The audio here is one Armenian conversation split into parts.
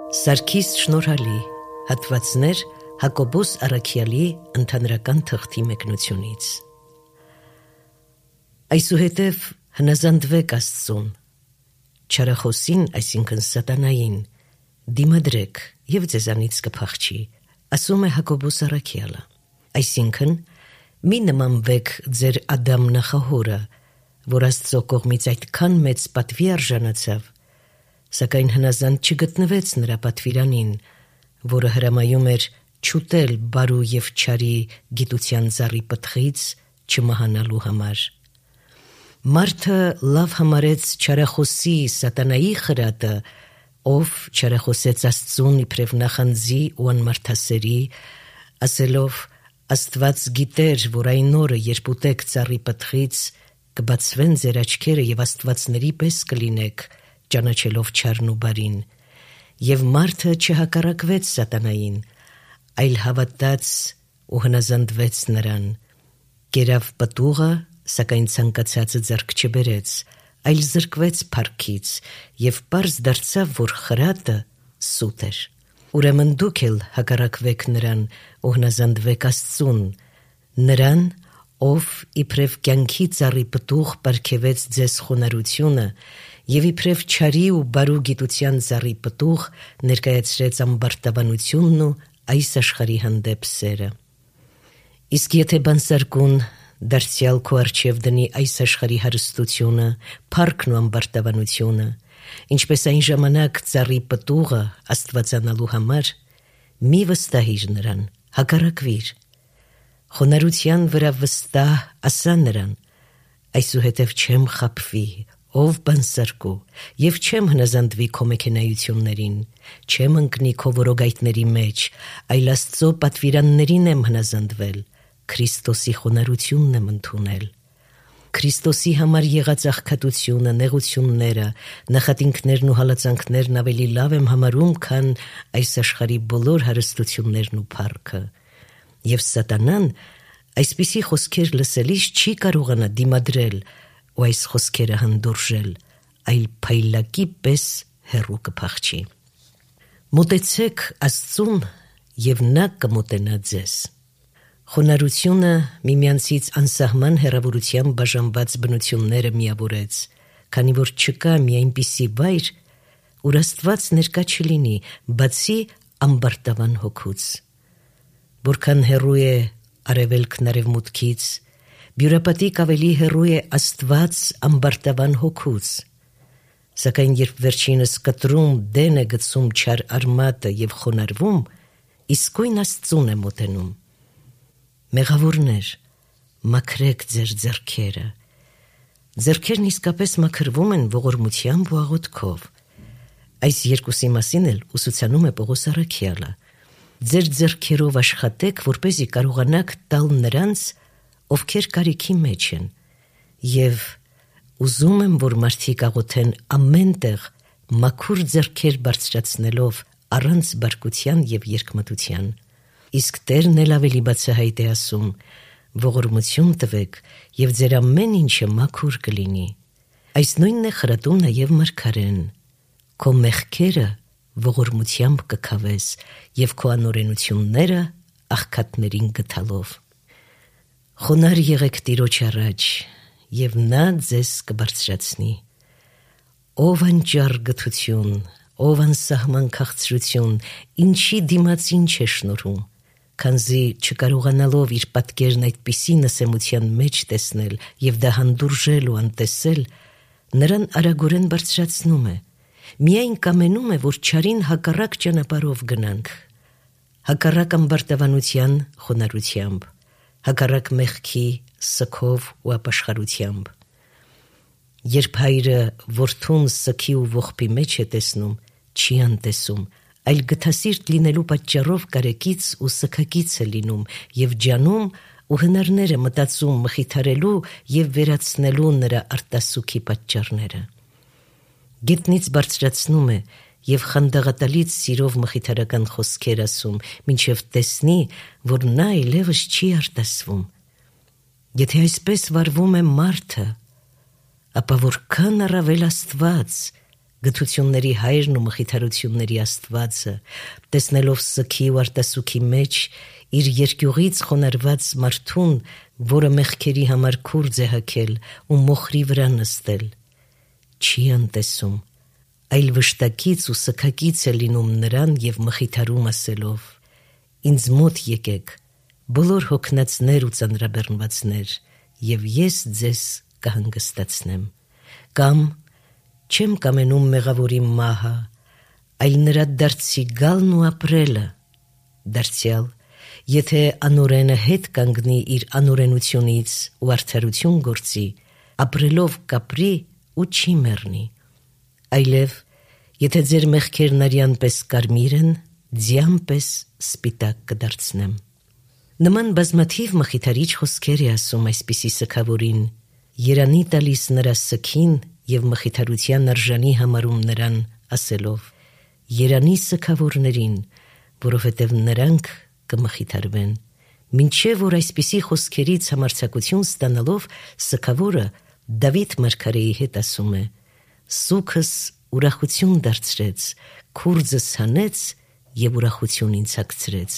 Սարգիս շնորհալի հատվածներ Հակոբոս Առաքյալի ընդհանրական թղթի մեկնությունից։ Այսուհետև հնազանդվեք Աստծուն, չարախոսին, այսինքն սատանային, դիմադրեք և ձեզանից կփախչի, ասում է Հակոբոս Առաքյալը, այսինքն մի նմանվեք ձեր Ադամ նախահորը, որ Աստծո կողմից այդքան մեծ պատվի արժանացավ, սակայն հնազանդ չգտնվեց նրա պատվիրանին, որը հրամայում էր չուտել բարու և չարի գիտության ծառի պտղից չմահանալու համար։ Մարդը լավ համարեց չարախոսի սատանայի խրատը, ով չարախոսեց Աստծուն իբրև նախանձի ու անմարդասերի, ասելով Աստված գիտեր, որ այն օրը, երբ ուտեք ծառի պտղից, կբացվեն ձեր աչքերը և աստվածների պես կլինեք, ճանաչելով չարն ու բարին, և մարդը չհակառակվեց սատանային, այլ հավատաց ու հնազանդվեց նրան, կերավ պտուղը, սակայն ցանկացածը ձեռք չբերեց, այլ զրկվեց փառքից և պարզ դարձավ, որ խրատը սուտ էր։ Ուրեմն դուք էլ հակառակվեք նրան ու հնազանդվեք Աստծուն, նրան, ով իբրև կյանքի ծառի պտուղ պարգևեց ձեզ խոնարհությունը և իբրև չարի ու բարու գիտության ծառի պտուղ ներկայացրեց ամբարտավանությունն ու այս աշխարհի հանդեպ սերը։ Իսկ եթե բանսարկուն դարձյալ քո առջև դնի այս աշխարհի հարստությունը, փառքն ու ամբարտավանությունը, ինչպես այն ժամանակ ծառի պտուղը աստվածանալու համար, մի վստահիր նրան, հակառակվիր։ Խոնարհության վրա վստահ ասա նրան, այսուհետև չեմ խաբվի, ով բանսարկու, և չեմ հնազանդվի քո մեքենայություններին, չեմ ընկնի քո որոգայթների մեջ, այլ Աստծո պատվիրաններին եմ հնազանդվել, Քրիստոսի խոնարհությունն եմ ընդունել։ Քրիստոսի համար եղած աղքատությունը, նեղությունները, նախատինքներն ու հալածանքներն ավելի լավ եմ համարում, քան այս աշխարհի բոլոր հարստություններն ու փառքը։ Եվ սատանան այսպիսի խոսքեր լսելիս չի կարողանա դիմադրել ու այս խոսքերը հանդուրժել, այլ փայլակի պես հեռու կփախչի։ Մոտեցեք Աստծուն, և նա կմոտենա ձեզ։ Խոնարհությունը միմյանցից անսահման հեռավորությամբ բաժանված բնությունները միավորեց, քանի որ չկա մի այնպիսի վայր, ուր Աստված ներկա չլինի, բացի ամբարտավան հոգուց։ Որքան հեռու է արևելքն արևմուտքից, բյուրապատիկ ավելի հեռու է Աստված ամբարտավան հոգուց։ Սակայն երբ վերջինս կտրում դեն է գցում չար արմատը և խոնարհվում, իսկույն Աստծուն է մոտենում։ Մեղավորներ, մաքրեք ձեր ձեռքերը։ Ձեռքերն իսկապես մաքրվում են ողորմությամբ ու աղոթքով։ Այս երկուսի մասին էլ ուսուցանում է Պողոս Առաքյալը։ Ձեր ձեռքերով աշխատեք, որպեսզի կարողանաք տալ նրանց, ովքեր կարիքի մեջ են, և ուզում եմ, որ մարդիկ աղոթեն ամեն տեղ մաքուր ձեռքեր բարձրացնելով առանց բարկության և երկմտության։ Իսկ Տերն էլ ավելի բացահայտ է ասում. ողորմություն տվեք, և ձեր ամեն ինչը մաքուր կլինի։ Այս նույնն է խրատում նաև մարգարեն. քո մեղքերը ողորմությամբ կքավես և քո անօրենությունները աղքատներին գթալով։ Խոնարհ եղեք Տիրոջ առաջ, և նա ձեզ կբարձրացնի։ Ով անճար գթություն, ով անսահման քաղցրություն, ինչի դիմաց ինչ է շնորհում, քանզի չկարողանալով իր պատկերն այդպիսի նսեմության մեջ տեսնել և դա հանդուրժել ու անտեսել, նրան արագորեն բարձրացնում է, միայն կամենում է, որ չարին հակառակ ճանապարհով գնանք, հակառակ ամբարտավանության խոնարհությամբ, հակառակ մեղքի սգով ու ապաշխարությամբ։ Երբ հայրը որդուն սգի ու ողբի մեջ է տեսնում, չի անտեսում, այլ գթասիրտ լինելու պատճառով կարեկից ու սգակից է լինում և ջանում ու հնարներ է մտածում մխիթարելու և վերացնելու նրա արտասուքի պատճառները։ Գետնից բարձրացնում է և խանդաղատալից սիրով մխիթարական խոսքեր ասում, մինչև տեսնի, որ նա այլևս չի արտասվում։ Եթե այսպես վարվում է մարդը, ապա որքան առավել Աստված, Գթությունների հայրն ու մխիթարությունների Աստվածը, տեսնելով սքի ու արտասուքի մեջ իր երկյուղից խոնարհված մարդուն, որը մեղքերի համար քուրձ է հագել ու մոխրի վրա նստել, չի անտեսում, այլ վշտակից ու սգակից է լինում նրան և մխիթարում ասելով. «Ինձ մոտ եկեք, բոլոր հոգնածներ ու ծանրաբեռնվածներ, և ես ձեզ կհանգստացնեմ»։ Կամ չեմ կամենում մեղավորի մահը, այլ նրա դարձի գալն ու ապրելը։ Դարձյալ, եթե անօրենը հետ կանգնի իր անօրենությունից ու արդարություն գործի, ապրելով կապրի ու չի մեռնի։ Այլև, եթե ձեր մեղքերն արյան պես կարմիր են, ձյան պես սպիտակ կդարձնեմ։ Նման բազմաթիվ մխիթարիչ խոսքեր է ասում այսպիսի սգավորին, երանի տալիս նրա սգին և մխիթարության արժանի համարում նրան ասելով. «Երանի սգավորներին, որովհետև նրանք կմխիթարվեն»։ Մինչև որ այսպիսի խոսքերից համարձակություն ստանալով սգավորը Դավիթ մարգարեի հետ ասում է. «Սուգս ուրախություն դարձրեց, քուրձս հանեց և ուրախություն ինձ հագցրեց»։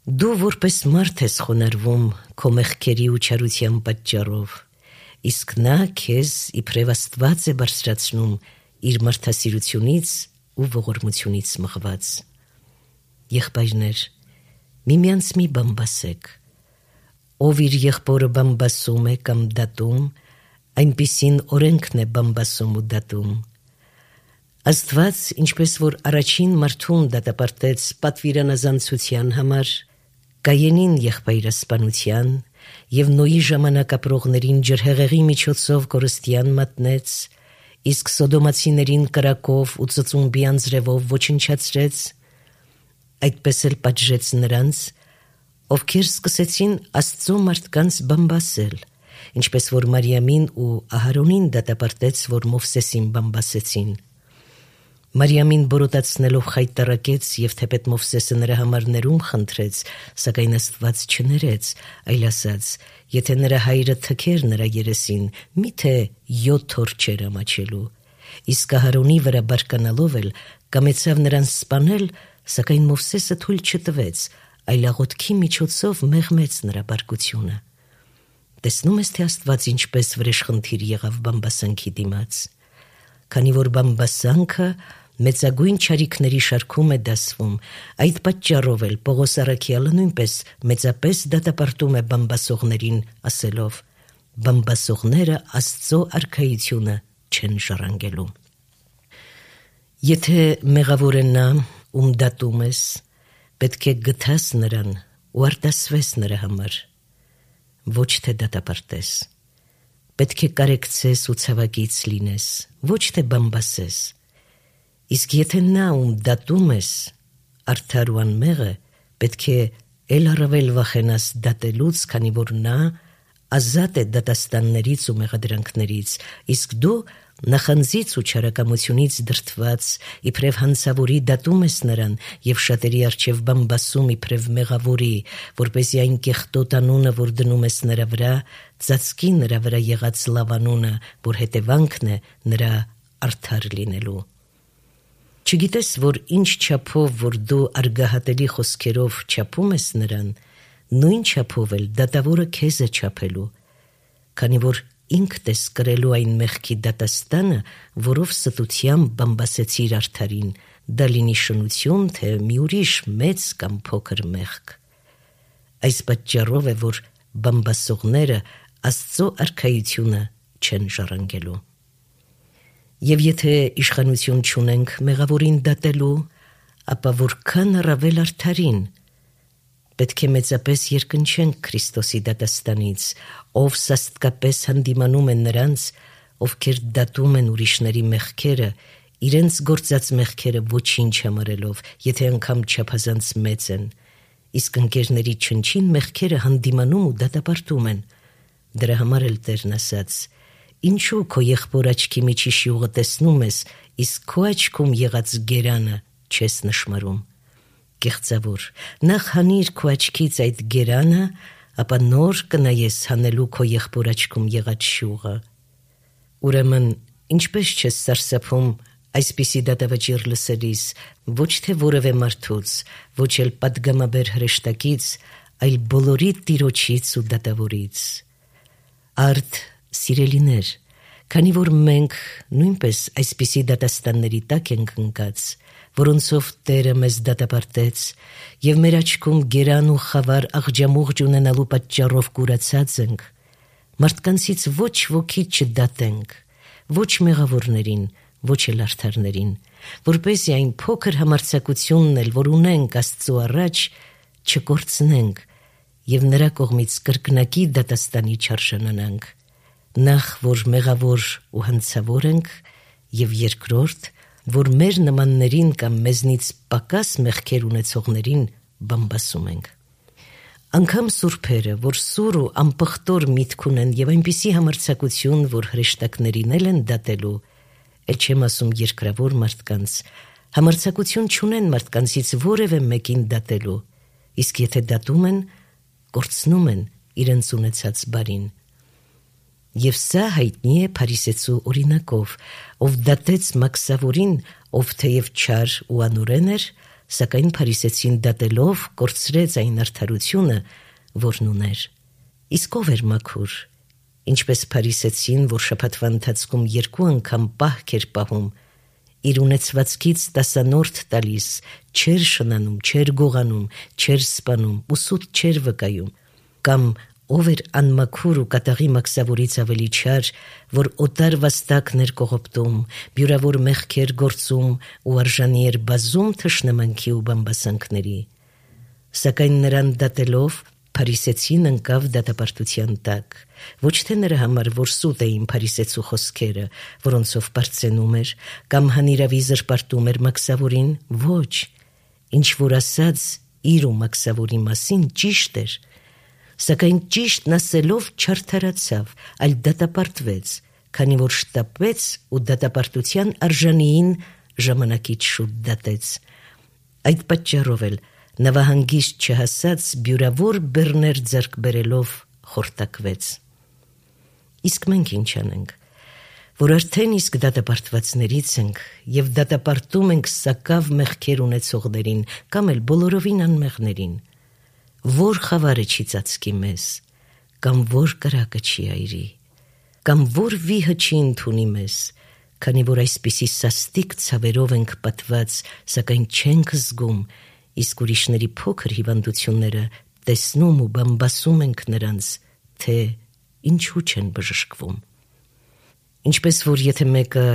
Դու որպես մարդ ես խոնարհվում քո մեղքերի ու չարության պատճառով, իսկ նա քեզ իբրև Աստված է բարձրացնում իր մարդասիրությունից ու ողորմությունից մղված։ Եղբայրներ, միմյանց մի բամբասեք։ Ով իր եղբորը բամբասում է կամ դատում, այնպիսին օրենքն է բամբասում ու դատում։ Աստված, ինչպես որ առաջին մարդուն դատապարտեց պատվիրանազանցության համար, Կայենին եղբայրասպանության և Նոյի ժամանակ ապրողներին ջրհեղեղի միջոցով կորստյան մատնեց, իսկ սոդոմացիներին կրակով ու ծծումբի անձրևով ոչնչացրեց, այդպես էլ պատժեց նրանց, ովքեր սկսեցին Աստծո մարդկանց բամբասել, ինչպես որ Մարիամին ու Ահարոնին դատապարտեց, որ Մովսեսին բամբասեցին։ Մարիամին բորոտացնելով խայտառակեց և թեպետ Մովսեսը նրա համար ներում խնդրեց, սակայն Աստված չներեց, այլ ասաց. «Եթե նրա հայրը թքեր նրա երեսին, միթե 7 օր չէր ամաչելու»։ Իսկ Ահարոնի վրա բարկանալով էլ կամեցավ նրան սպանել, սակայն Մովսեսը թույլ չտվեց, այլ աղոթքի միջոցով մեղմեց նրա բարկությունը։ Տեսնում ես, թե Աստված ինչպես վրեժխնդիր եղավ բամբասանքի դիմաց։ Քանի որ բամբասանքը մեծագույն չարիքների շարքում է դասվում, այդ պատճառով էլ Պողոս առաքյալը նույնպես մեծապես դատապարտում է բամբասողներին, ասելով. «Բամբասողները Աստծո արքայությունը չեն ժառանգելու»։ Եթե մեղավոր է նա, ում դատում ես, պետք է գթաս նրան ու արտասվես նրա համար, ոչ թե դատապարտես։ Պետք է կարեկցես ու ցավակից լինես, ոչ թե բամբասես։ Իսկ եթե նա, ում դատում ես, արդար ու անմեղ է, պետք է էլ առավել վախենաս դատելուց, քանի որ նա ազատ է դատաստաններից ու մեղադրանքներից, իսկ դու նախանձից ու չարակամությունից դրդված, իբրև հանցավորի դատում ես նրան և շատերի առջև բամբասում իբրև մեղավորի, որպեսզի այն կեղտոտ անունը, որ դնում ես նրա վրա, ծածկի նրա վրա եղած լավ անունը, որ հետևանքն է նրա արդար լինելու։ Չգիտես, որ ինչ չափով, որ դու արգահատելի խոսքերով չափում ես նրան, նույն չափով էլ դատավորը քեզ է չափելու, քանի որ ինքդ ես կրելու այն մեղքի դատաստանը, որով ստությամբ բամբասեցիր արդարին, դա լինի շնություն, թե մի ուրիշ մեծ կամ փոքր մեղք։ Այս պատճառով է, որ բամբասողները Աստծո արքայությունը չեն ժառանգելու։ Եվ եթե իշխանություն չունենք մեղավորին դատելու, ապա որքան առավել արդարին։ Պետք է մեծապես երկնչենք Քրիստոսի դատաստանից, ով սաստկապես հանդիմանում է նրանց, ովքեր դատում են ուրիշների մեղքերը, իրենց գործած մեղքերը ոչինչ համարելով, եթե անգամ չափազանց մեծ են, իսկ ընկերների չնչին մեղքերը հանդիմանում ու դատապարտում են։ Դրա համար էլ Տերն ասաց. «Ինչու քո եղբոր աչքի միջի շիուղը տեսնում ես, իսկ քո աչքում եղած գերանը չես նշմարում»։ Կեղծավոր, նախ հանիր քո աչքից այդ գերանը, ապա նոր կնայես հանելու քո եղբոր աչքում եղած շիուղը։ Ուրեմն Ինչպես չես սարսափում այսպիսի դատավճիռ լսելիս, ոչ թե որևէ մարդուց, ոչ էլ պատգամաբեր հրեշտակից, այլ բոլորի Տիրոջից ու դատավորից։ Արդ սիրելիներ, քանի որ մենք նույնպես այսպիսի դատաստանների տակ ենք ընկած, որոնցով Տերը մեզ դատապարտեց, և մեր աչքում գերան ու խավար աղջամուղջ ունենալու պատճառով կուրացած ենք, մարդկանցից ոչ ոքի չդատենք, ոչ մեղավորներին, ոչ էլ արդարներին, որպեսզի այն փոքր համարձակությունն էլ, որ ունենք Աստծու առաջ, չկորցնենք և նրա կողմից կրկնակի դատաստանի չարժանանանք, նախ որ մեղավոր ու հանցավոր ենք, և երկրորդ, որ մեր նմաններին կամ մեզնից պակաս մեղքեր ունեցողներին բամբասում ենք։ Անգամ սուրբերը, որ սուր ու անպղտոր միտք ունեն և այնպիսի համարձակություն, որ հրեշտակներին էլ են դատելու, էլ չեմ ասում երկրավոր մարդկանց, համարձակություն չունեն մարդկանցից որևէ մեկին դատելու, իսկ եթե դատում են, կորցնում են իրենց ունեցած բարին։ Եվ սա հայտնի է Փարիսեցու օրինակով, ով դատեց մաքսավորին, ով թեև չար ու անօրեն էր, սակայն Փարիսեցին դատելով կորցրեց այն արդարությունը, որն ուներ։ Իսկ ով էր մաքուր, ինչպես Փարիսեցին, որ շաբաթվա ընթացքում 2 անգամ պահք էր պահում, իր ունեցվածքից տասանորդ տալիս, չէր շնանում, չէր գողանում, չէր սպանում ու սուտ չէր վկայում, կամ ով էր անմաքուր ու կատաղի մաքսավորից ավելի չար, որ օտար վաստակն էր կողոպտում, բյուրավոր մեղքեր գործում ու արժանի էր բազում թշնամանքի ու բամբասանքների։ Սակայն նրան դատելով, Փարիսեցին ընկավ դատապարտության տակ, ոչ թե նրա համար, որ սուտ էին Փարիսեցու խոսքերը, որոնցով պարծենում էր, կամ հանիրավի զրպարտում էր մաքսավորին, ոչ, ինչ որ ասաց իր ու մաքսավորի մասին ճիշտ էր, սակայն ճիշտն ասելով չարդարացավ, այլ դատապարտվեց, քանի որ շտապեց ու դատապարտության արժանիին ժամանակից շուտ դատեց։ Այդ պատճառով էլ նավահանգիստ չհասած բյուրավոր բեռներ ձեռք բերելով խորտակվեց։ Իսկ մենք ինչ անենք, որ արդեն իսկ դատապարտվածներից ենք և դատապարտում ենք սակավ մեղքեր ունեցողներին կամ էլ բոլորովին անմեղներին, որ խավարը չի ծածկի մեզ, կամ որ կրակը չի այրի, կամ որ վիհը չի ընդունի մեզ, քանի որ այսպիսի սաստիկ ցավերով ենք պատված, սակայն չենք զգում, իսկ ուրիշների փոքր հիվանդությունները տեսնում ու բամբասում ենք նրանց, թե ինչու չեն բժշկվում։ Ինչպես որ եթե մեկը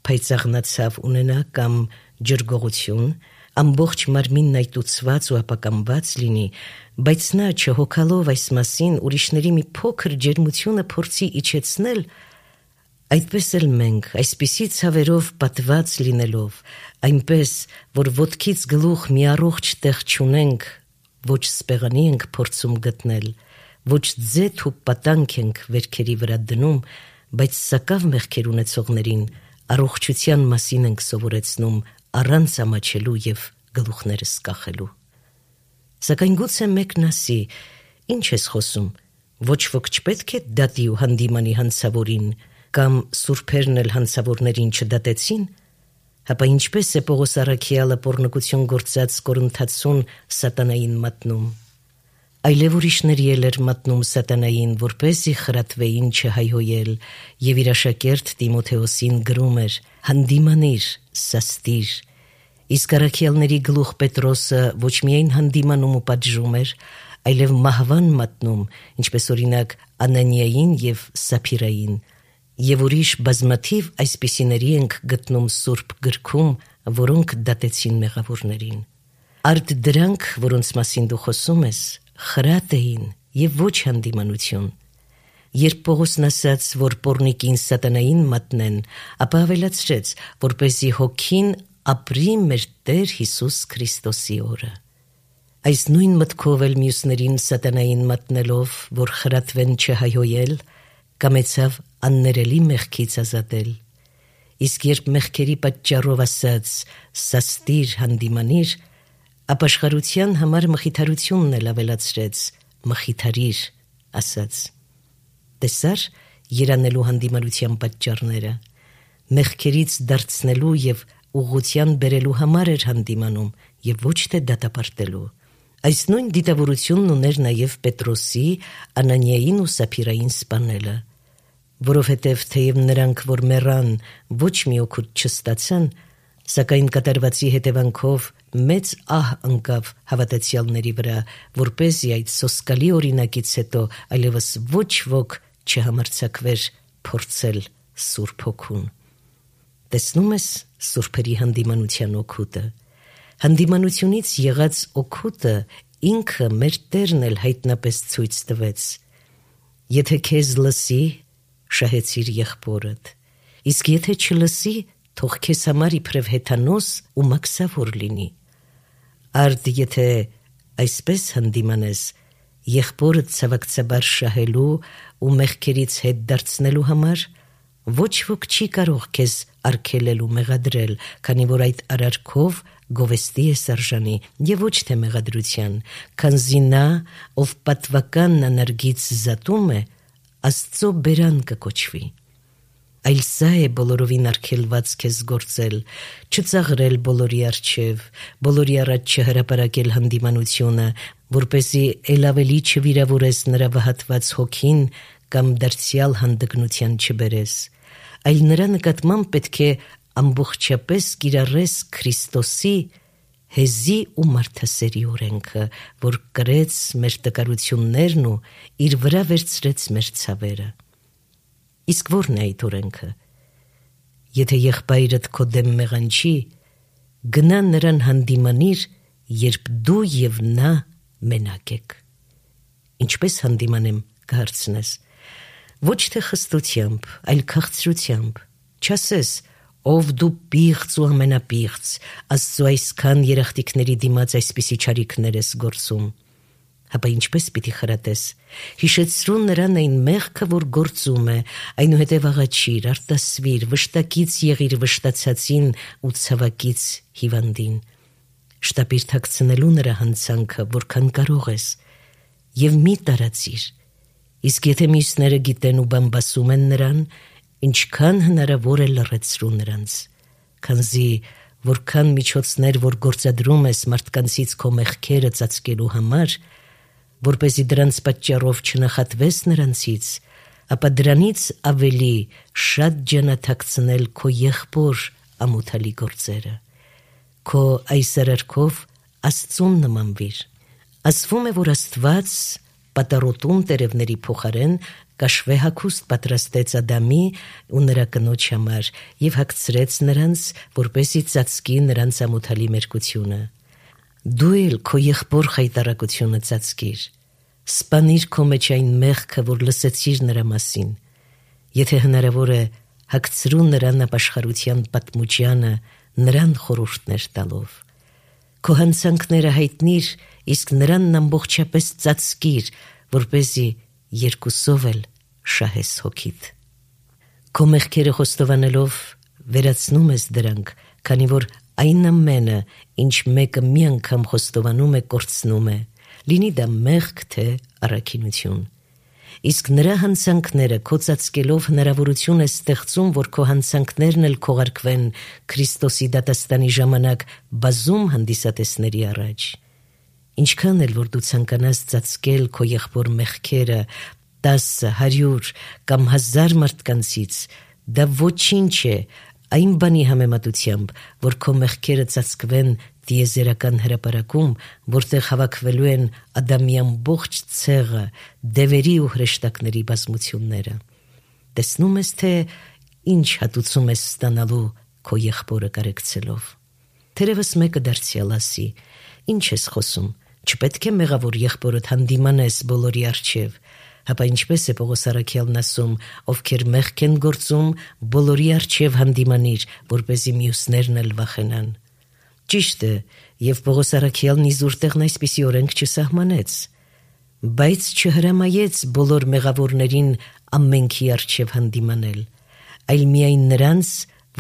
փայծաղնացավ ունենա կամ ջրգողություն, ամբողջ մարմինն այտուցված ու ապակամված լինի, բայց նա չհոգալով այս մասին ուրիշների մի փոքր ջերմությունը փորձի իջեցնել, այդպես էլ մենք, այսպիսի ցավերով պատված լինելով, այնպես, որ ոտքից գլուխ մի առողջ տեղ չունենք, ոչ սպեղանի ենք փորձում գտնել, ոչ ձեթ ու պատանք ենք վերքերի վրա դնում, բայց սակավ մեղքեր ունեցողներին առողջության մասին ենք սովորեցնում առանց ամաչելու և գլուխներս կախելու։ Սակայն գուցե մեկն ասի, ինչ ես խոսում, ոչ ոք չպետք է դատի ու հանդիմանի հանցավորին, կամ սուրբերն էլ հանցավորներին չդատեցին, հապա ինչպես է Պողոս առաքյալը պոռնկություն գործած Կորինթացուն սատանային մատնում։ Այլև ուրիշների էլ էր մատնում սատանային, որպեսզի խրատվեին չհայհոյել, և իր աշակերտ Տիմոթեոսին գրում էր. «Հանդիմանիր, սաստիր»։ Իսկ առաքյալների գլուխ Պետրոսը ոչ միայն հանդիմանում ու պատժում էր, այլև մահվան մատնում, ինչպես օրինակ Անանիային և Սափիրային, և ուրիշ բազմաթիվ այսպիսիների ենք գտնում Սուրբ գրքում, որոնք դատեցին մեղավորներին։ Արդ դրանք, որոնց մասին դու խոսում ես, խրատ էին և ոչ հանդիմանություն։ Երբ Պողոսն ասաց, որ պոռնիկին սատանային մատնեն, ապա ավելացրեց, որպեսզի հոգին ապրի մեր Տեր Հիսուս Քրիստոսի օրը։ Այս նույն մտքով էլ մյուսներին սատանային մատնելով, որ խրատվեն չհայհոյել, կամեցավ աններելի մեղքից ազատել։ Իսկ երբ մեղքերի պատճառով ասաց «սաստիր, հանդիմանիր», ապաշխարության համար մխիթարությունն էլ ավելացրեց «մխիթարիր» ասաց։ Տեսա՞ր երանելու հանդիմանության պատճառները։ մեղքերից դարձնելու և ուղղության բերելու համար էր հանդիմանում և ոչ թե դատապարտելու։ Այս նույն դիտավորությունն ուներ նաև Պետրոսի, Անանիային ու Սափիրային սպանելը, որովհետև թեև նրանք, որ մեռան, ոչ մի օգուտ չստացան, սակայն կատարվածի հետևանքով մեծ ահ ընկավ հավատացյալների վրա, որպեսզի այդ սոսկալի օրինակից հետո այլևս ոչ ոք չհամարձակվեր փորձել Սուրբ Հոգուն։ Տեսնում ես սուրբերի հանդիմանության օգուտը։ Հանդիմանությունից եղած օգուտը ինքը մեր Տերն էլ հայտնապես ցույց տվեց։ Եթե քեզ լսի, շահեցիր եղբորդ, իսկ եթե չլսի, թող քեզ համար իբրև հեթանոս ու մաքսավոր լինի։ Արդ եթե այսպես հանդիմանես, եղբորդ ցավակցաբար շահելու ու մեղքերից հետ դարձնելու համար, ոչ ոք չի կարող քեզ արգելել ու մեղադրել, քանի որ այդ արարքով գովեստի ես արժանի և ոչ թե մեղադրության, քանզի նա, ով պատվականն անարգից զատում է, Աստծո բերան կկոչվի։ Այլ սա է բոլորովին արգելված քեզ գործել, չծաղրել բոլորի առջև, բոլորի առաջ չհրապարակել հանդիմանությունը, որպեսզի էլ ավելի չվիրավորես նրա վհատված հոգին կամ դարձյալ հանդգնության չբերես, այլ նրա նկատմամբ պետք է ամբողջապես կիրառես Քրիստոսի հեզի ու մարդասերի օրենքը, որ կրեց մեր տկարություններն ու իր վրա վերցրեց մեր ցավերը։ Իսկ ո՞րն է այդ օրենքը։ Եթե եղբայրդ քո դեմ մեղանչի, գնա նրան հանդիմանիր, երբ դու և նա մենակ եք։ Ինչպես հանդիմանեմ, կհարցնես։ Ոչ թե խստությամբ, այլ քաղցրությամբ, չասես, ով դու պիղծ ու ամենապիղծ, Աստծո այսքան երախտիկների դիմաց այսպիսի չարիքներ ես գործում։ Հապա ինչպես պիտի խրատես։ Հիշեցրու նրան այն մեղքը, որ գործում է, այնուհետև աղաչիր, արտասվիր, վշտակից եղիր վշտացածին ու ցավակից հիվանդին։ Շտապիր թաքցնելու նրա հանցանքը, որքան կարող ես, և մի տարածիր։ Իսկ եթե մյուսները գիտեն ու բամբասում են նրան, ինչքան հնարավոր է լռեցրու նրանց, քանզի որքան միջոցներ, որ գործադրում ես մարդկանցից քո մեղքերը ծածկելու համար, որպեսզի դրանց պատճառով չնախատվես նրանցից, ապա դրանից ավելի շատ ջանաթաքցնել քո եղբոր ամոթալի գործերը։ Քո այս արարքով Աստծուն նմանվիր։ Ասվում է, որ Աստված պատառոտուն տերևների փոխարեն կաշվե հագուստ պատրաստեց Ադամի ու նրա կնոջ համար և հագցրեց նրանց, որպեսզի ծածկի նրանց ամոթալի մերկությունը։ Դու էլ քո եղբոր խայտառակությունը ծածկիր, սպանիր քո մեջ այն մեղքը, որ լսեցիր նրա մասին։ Եթե հնարավոր է, հագցրու նրան ապաշխարության պատմուճյանը, նրան խորհուրդներ տալով։ Քո հանցանքները հայտնիր, իսկ նրան ամբողջապես ծածկիր, որպեսզի երկուսով էլ շահես հոգիդ։ Քո մեղքերը խոստովանելով վերացնում ես դրանք, քանի որ այն ամենը, ինչ մեկը մի անգամ խոստովանում է, կորցնում է, լինի դա մեղք, թե առաքինություն։ Իսկ նրա հանցանքները քո ծածկելով հնարավորություն է ստեղծում, որ քո հանցանքներն էլ քողարկվեն Քրիստոսի դատաստանի ժամանակ բազում հանդիսատեսների առաջ։ Ինչքան էլ որ դու ցանկանաս ծածկել քո եղբոր մեղքերը 10, 100 կամ 1000 մարդկանցից, դա ոչինչ է այն բանի համեմատությամբ, որ քո մեղքերը ծածկվեն տիեզերական հրապարակում, որտեղ հավաքվելու են Ադամի ամբողջ ցեղը, դևերի ու հրեշտակների բազմությունները։ Տեսնում ես, թե ինչ հատուցում ես ստանալու քո եղբորը կարեկցելով։ Թերևս մեկը դարձյալ ասի. ինչ ես խոսում, չպետք է մեղավոր եղբորդ հանդիմանես բոլորի առջև, հապա ինչպես է Պողոս առաքյալն ասում, ովքեր մեղք են գործում, բոլորի առջև հանդիմանիր, որպեսզի մյուսներն էլ վախենան։ Ճիշտ է, և Պողոս առաքյալն իզուր տեղն այսպիսի օրենք չսահմանեց, բայց չհրամայեց բոլոր մեղավորներին ամենքի առջև հանդիմանել, այլ միայն նրանց,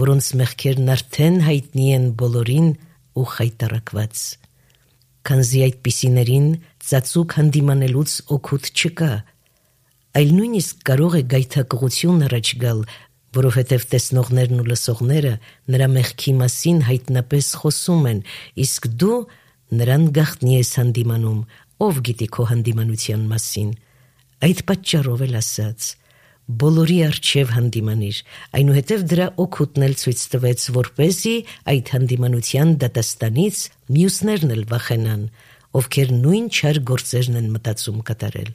որոնց մեղքերն արդեն հայտնի են բոլորին ու խայտառակված։ Քանզի այդպիսիներին ծածուկ հանդիմանելուց օգուտ չկա, այլ նույնիսկ կարող է գայթակղություն առաջ գալ, որովհետև տեսնողներն ու լսողները նրա մեղքի մասին հայտնապես խոսում են, իսկ դու նրան գաղտնի ես հանդիմանում, ով գիտի քո հանդիմանության մասին։ Այդ պատճառով էլ ասաց. բոլորի առջև հանդիմանիր, այնուհետև դրա օգուտն էլ ցույց տվեց, որպեսզի այդ հանդիմանության դատաստանից մյուսներն էլ վախենան, ովքեր նույն չար գործերն են մտածում կատարել։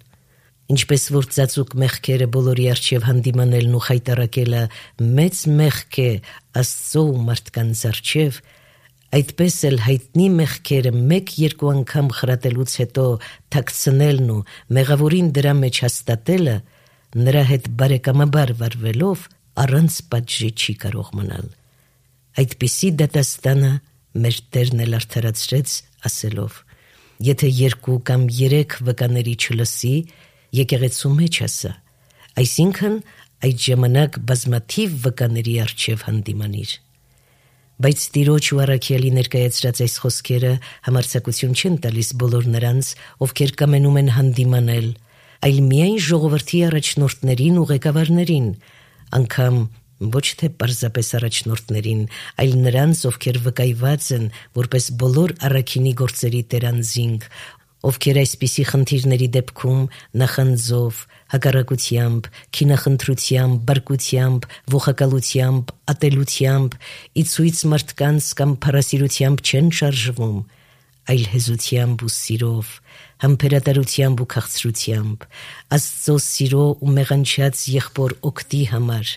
Ինչպես որ ծածուկ մեղքերը բոլորի առջև հանդիմանելն ու խայտառակելը մեծ մեղք է Աստծո ու մարդկանց առջև, այդպես էլ հայտնի մեղքերը մեկ-երկու անգամ խրատելուց հետո թաքցնելն ու մեղավորին դրա մեջ հաստատելը նրա հետ բարեկամաբար վարվելով առանց պատժի չի կարող մնալ։ Այդպիսի դատաստանը մեր Տերն էլ արդարացրեց ասելով. եթե 2 կամ 3 վկաների չլսի, եկեղեցու մեջ ասա, այսինքն այդ ժամանակ բազմաթիվ վկաների առջև հանդիմանիր։ Բայց Տիրոջ ու առաքյալի ներկայացրած այս խոսքերը համարձակություն չեն տալիս բոլոր նրանց, ովքեր կամենում են հանդիմանել, այլ միայն ժողովրդի առաջնորդներին ու ղեկավարներին, անգամ ոչ թե պարզապես առաջնորդներին, այլ նրանց, ովքեր վկայված են որպես բոլոր առաքինի գործերի տերանզինգ, ովքեր այսպիսի խնդիրների դեպքում նախանձով, հակառակությամբ, քինախնդրությամբ, բարկությամբ, ողակալությամբ, ատելությամբ, իցույց մարդկանց կամ փառասիրությամբ չեն շարժվում, այլ հեզությամբ ու սիրով, համբերատարությամբ ու քաղցրությամբ, Աստծո սիրո ու մեղանչած եղբոր օգտի համար,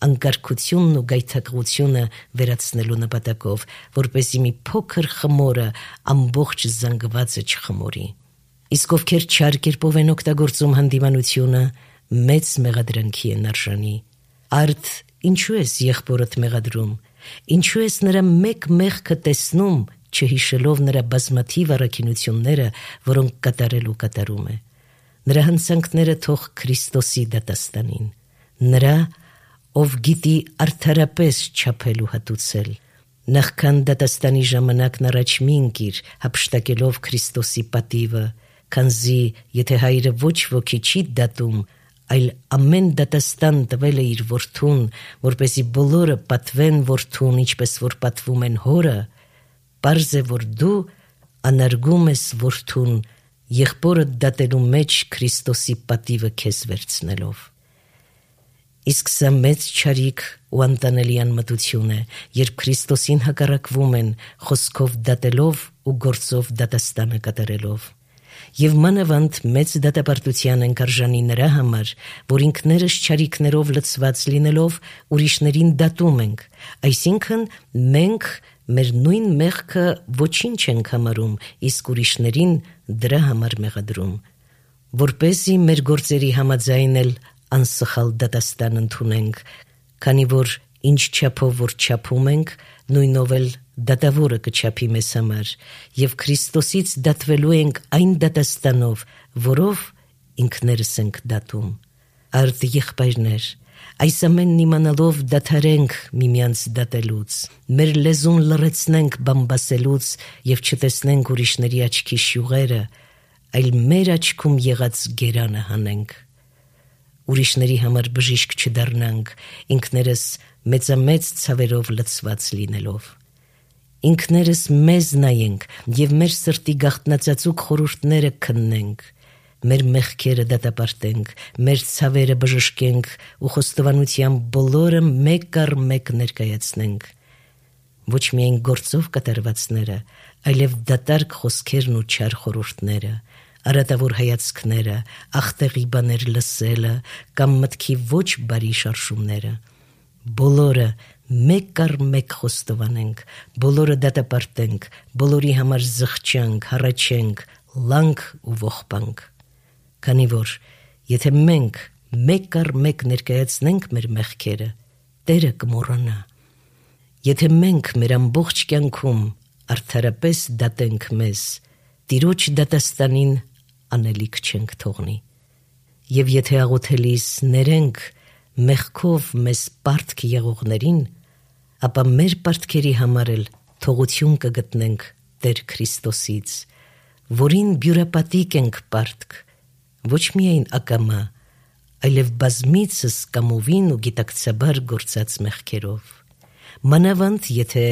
անկարգությունն ու գայթակղությունը վերացնելու նպատակով, որպեսզի մի փոքր խմորը ամբողջ զանգվածը չխմորի։ Իսկ ովքեր չար կերպով են օգտագործում հանդիմանությունը, մեծ մեղադրանքի են արժանի։ Արդ ինչու ես եղբորդ մեղադրում, ինչու ես նրա մեկ մեղքը տեսնում, չհիշելով նրա բազմաթիվ առաքինությունները, որոնք կատարել ու կատարում է։ Նրա հանցանքները թող Քրիստոսի դատաստանին, նրա, ով գիտի արդարապես չափել ու հատուցել։ Նախքան դատաստանի ժամանակն առաջ մի ընկիր, հափշտակելով Քրիստոսի պատիվը, քանզի եթե Հայրը ոչ ոքի չի դատում, այլ ամեն դատաստան տվել է իր որդուն, որպեսզի բոլորը պատվեն որդուն, ինչպես որ պատվում են հորը, պարզ է, որ դու անարգում ես որդուն, եղբորդ դատելու մեջ Քրիստոսի պատիվը քեզ վերցնելով։ Իսկ սա մեծ չարիք ու անտանելի անմտություն է, երբ Քրիստոսին հակառակվում են խոսքով դատելով ու գործով դատաստանը կատարելով։ Եվ մանավանդ մեծ դատապարտության ենք արժանի նրա համար, որ ինքներս չարիքներով լցված լինելով ուրիշներին դատում ենք, այսինքն մենք մեր նույն մեղքը ոչինչ ենք համարում, իսկ ուրիշներին դրա համար մեղադրում, որպեսզի մեր գործերի համաձայն էլ անսխալ դատաստան ընդունենք, քանի որ ինչ չափով որ չափում ենք, նույնով էլ դատավորը կչափի մեզ համար, և Քրիստոսից դատվելու ենք այն դատաստանով, որով ինքներս ենք դատում։ Արդ եղբայրներ, այս ամենն իմանալով դադարենք միմյանց դատելուց, մեր լեզուն լռեցնենք բամբասելուց և չտեսնենք ուրիշների աչքի շյուղերը, այլ մեր աչքում եղած գերանը հանենք։ Ուրիշների համար բժիշկ չդառնանք, ինքներս մեծամեծ ցավերով լցված լինելով։ Ինքներս մեզ նայենք և մեր սրտի գաղտնացածուկ խորհուրդները քննենք, մեր մեղքերը դատապարտենք, մեր ցավերը բժշկենք ու խոստովանությամբ բոլորը մեկ առ մեկ ներկայացնենք։ Ոչ միայն գործով կատարվածները, այլև դատարկ խոսքերն ու չար խորհուրդները, արատավոր հայացքները, ախտեղի բաներ լսելը կամ մտքի ոչ բարի շարժումները, բոլորը մեկ առ մեկ խոստովանենք, բոլորը դատապարտենք, բոլորի համար զղջանք, հառաչենք, լանք ու ողբանք։ Քանի որ եթե մենք մեկ առ մեկ ներկայացնենք մեր մեղքերը, Տերը կմոռանա։ Եթե մենք մեր ամբողջ կյանքում արդարապես դատենք մեզ, Տիրոջ դատաստանին անելիք չենք թողնի։ Եվ եթե աղոթելիս ներենք մեղքով մեզ պարտք եղողներին, ապա մեր պարտքերի համար էլ թողություն կգտնենք Տեր Քրիստոսից, որին բյուրապատիկ ենք պարտք, ոչ միայն ակամա, այլև բազմիցս կամովին ու գիտակցաբար գործած մեղքերով։ Մանավանդ, եթե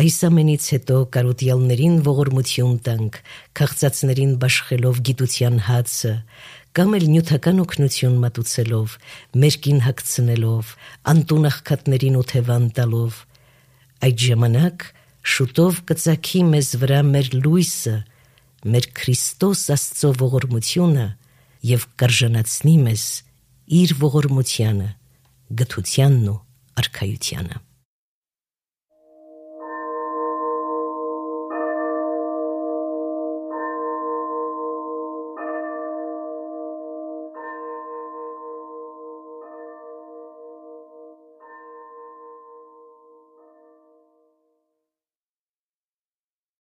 այս ամենից հետո կարոտյալներին ողորմություն տանք, քաղցածներին բաշխելով գիտության հացը, կամ էլ նյութական օգնություն մատուցելով, մերկին հագցնելով, անտուն աղքատներին օթևան տալով, այդ ժամանակ շուտով կծագի մեզ վրա մեր լույսը, մեր Քրիստոս Աստծո ողորմությունը և կարժանացնի մեզ իր ողորմությանը, գթությանն ու արքայությանը։